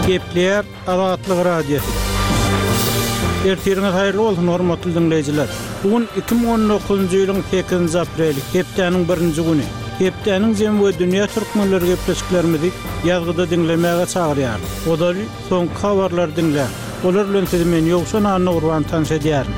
Gepleýär Azatlyk Radiosy. Ertiriňiz haýyrly bolsun, hormatly diňleýjiler! Bu gün 2019-njy ýylyň sekizinji apreli, hepdäniň birinji güni. Hepdäniň jemi we dünýä türkmenleri gepleşiklerimizi ýazgyda diňlemäge çagyrýarys. Ozaly soňky habarlary diňläň. Olar bilen sizi men Ýowşan Annagurban tanyş edýärin.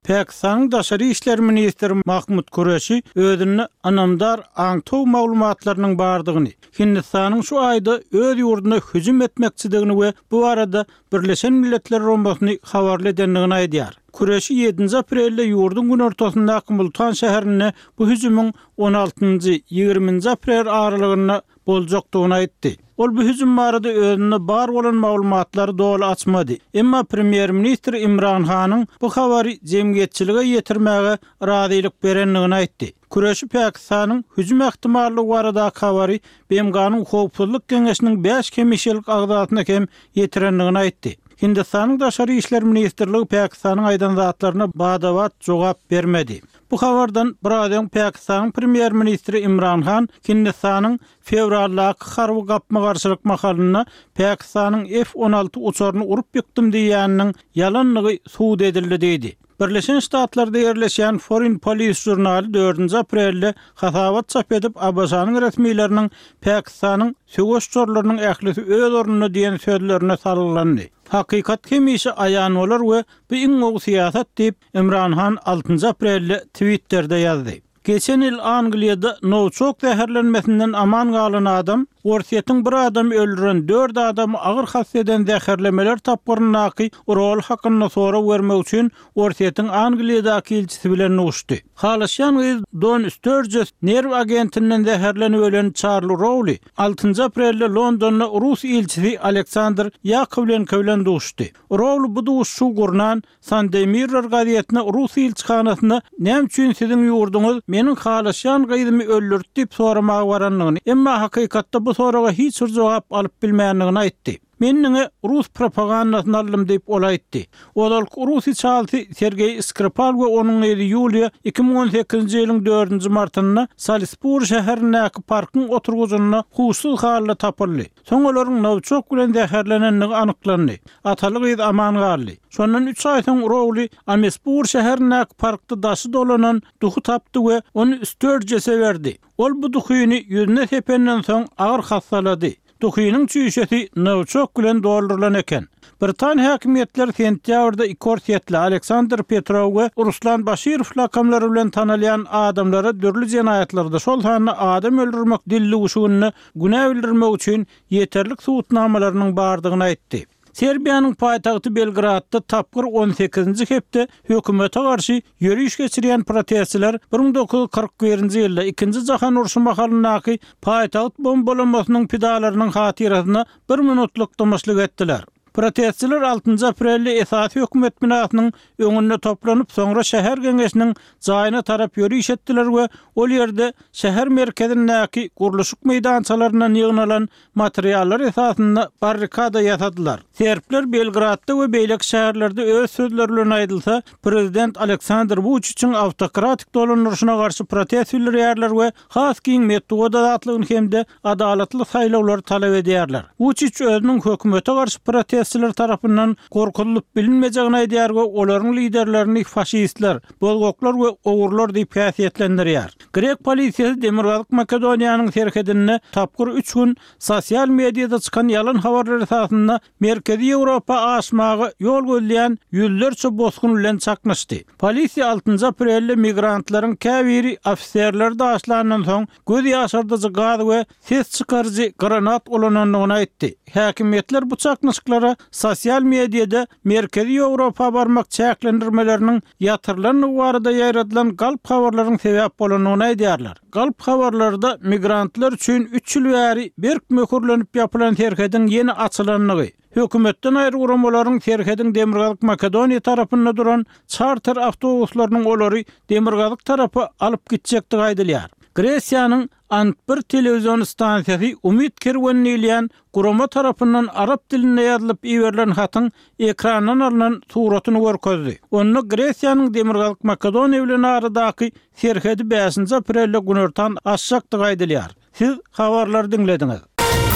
Pakistanyň daşary işler ministri Mahmud Kureşi özünde ynamdar aňtaw maglumatlarynyň bardygyny, Hindistanyň şu aýda öz ýurduna hüjüm etmekçidigini we bu barada Birleşen Milletler Guramasyny habarly edendigini aýdýar. Kureşi ýedinji aprelde ýurduň günortasyndaky Multan şäherinde bu hüjümiň on altynjy, ýigriminji aprel aralygynda boljakdygyny aýtdy. Ol bu hüjüm barada özünde bar bolan maglumatlary doly açmady. Emma premýer-ministr Imran Hanyň bu habary jemgyýetçilige ýetirmäge razylyk berendigini aýtdy. Kureşi Pakistanyň hüjüm ähtimallygy baradaky habary BMG-niň Howpsuzlyk Geňeşiniň bäş hemişelik agzasyna hem ýetirendigini aýtdy. Hindistanyň Daşary işler ministrligi Pakistanyň aýdan zatlaryna bada-bat jogap bermedi. Bu habardan biraz öň Pakistanyň premýer-ministri Imran Han Hindistanyň fewraldaky harby gapma-garşylyk mahalynda Pakistanyň F 16 uçaryny urup ýykdym diýýäniniň ýalandygy subut edildi diýdi. Birleşen Ştatlarda ýerleşýän Foreign Policy žurnaly dördünji aprelde hasabat çap edip, ABŞ-nyň resmileriniň Pakistanyň söweş uçarlarynyň ählisi öz ornunda diýen sözlerine salgylandy. Hakykat hemişe aýan bolar we bu iň gowy syýasat diýip, Imran Han altynjy aprelde Twitterde ýazdy. Geçen ýyl Angliýada nowiçok zäherlenmesinden aman galan adam, Orsýetiň bir adamy öldüren, dört adamy agyr hassa eden zäherlemeler tapgyryndaky roly hakynda sorag bermek üçin Orsýetiň Angliýadaky ilçisi bilen duşdy. Halaşýan gyz Don Störjes nerw agentinden zäherlenip ölen Çarli Rouli altynjy aprelde Londonda rus ilçisi Aleksandr Ýakowlenko bilen duşdy. Rouli bu duşuşygy gurnan Sunday Mirror gazetine rus ilçihanasyna näme üçin siziň ýurduňyz meniň halaşýan gyzymy öldürdi diýip soramaga barandygyny, emma hakykatda bu soraga hiç bir jogap alyp bilmändigini aýtdy. Men diňe rus propagandasyny aldym diýip, ol aýtdy. Ozalky rus içalysy Sergeý Skripal we onuň gyzy Ýuliýa 2018-nji ýylyň dördünji martynda Salisburi şäherindäki parkyň oturgyjynda huşsuz halda tapyldy. Soň olaryň nowiçok bilen zäherlenendigi anyklandy. Ataly-gyz aman galdy. Şondan üç aý soň Rouli Amesbur şäherindäki parkda daşy dolanan duhy tapdy we ony Störjese berdi. Ol bu duhyny ýüzüne sependen soň agyr hassalady. Duhynyň çüýşesi nowiçok bilen doldurylan eken. Britan häkimiýetleri sentýabrda iki orsýetli, Aleksandr Petrow we Ruslan Başirow lakamlary bilen tanalýan adamlara dürli jenaýatlarda, şol sanda adam öldürmek dildüwşüginde günä bildirmek üçin ýeterlik subutnamalarynyň bardygyny aýtdy. Serbiýanyň paýtagty Belgradda tapgyr on sekizinji hepde hökümete garşy ýöriş geçirýän protestçiler 1941-nji ýylda Ikinji jahan urşy mahalyndaky paýtagt bombalamasynyň pidalarynyň hatyrasyna bir minutlyk dymyşlyk etdiler. Protestçiler altynjy aprelde esasy hökümet binasynyň öňünde toplanyp, soňra şäher geňeşiniň jaýyna tarap ýöriş etdiler we ol ýerde şäher merkezindäki gurluşyk meýdançalaryndan ýygnalan materiallar esasynda barrikada ýasadylar. Serbler Belgradda we beýleki şäherlerde öz sözleri bilen aýdylsa, prezident Aleksandr Wuçiçiň awtokratik dolandyryşyna garşy protest bildirýärler we has giň metbugat azatlygyny hem-de adalatly saýlawlary talap edýärler. Wuçiç özüniň hökümete garşy protestçiler tarapyndan gorkuzylyp bilinmejegini aýdýar we olaryň liderlerini faşistler, bozgaklar we ogrular diýip häsiýetlendirýär. Grek polisiýasy Demirgazyk Makedoniýanyň serhedinde tapgyr üç gün sosial mediada çykan ýalan habarlar esasynda Merkezi Ýewropa aşmaga ýol gözleýän ýüzlerçe bosgun bilen çaknyşdy. Polisiýa altynjy aprelde migrantlaryň käbiri ofiserleri daşlandan soň göz ýaşardyjy gaz we ses çykaryjy granat ulanandygyny aýtdy. Häkimiýetler bu çaknyşyklara sosial mediada Merkezi Ýewropa barmak çäklendirmeleriniň ýatyrylandygy barada ýaýradylan galp habarlaryň sebäp bolandygyny aýdýarlar. Galp habarlarda migrantlar üçin üç ýyl bäri berk möhürlenip ýapylan serhediň ýene açylandygy, hökümetden aýry guramalaryň serhediň Demirgazyk Makedoniýa tarapynda duran çarter awtobuslarynyň olary demirgazyk tarapa alyp gitjekdigi aýdylýar. Gresiýanyň Ant bir telewizion stansiýasy Umyt kerweni diýilýän gurama tarapyndan arap dilinde ýazylyp iberilen hatyň ekrandan alnan suratyny görkezdi. Onda Gresiýanyň Demirgazyk Makedoniýa bilen aradaky serhedi bäşinji aprelde günortan açjakdygy aýdylýar. Siz habarlary diňlediňiz.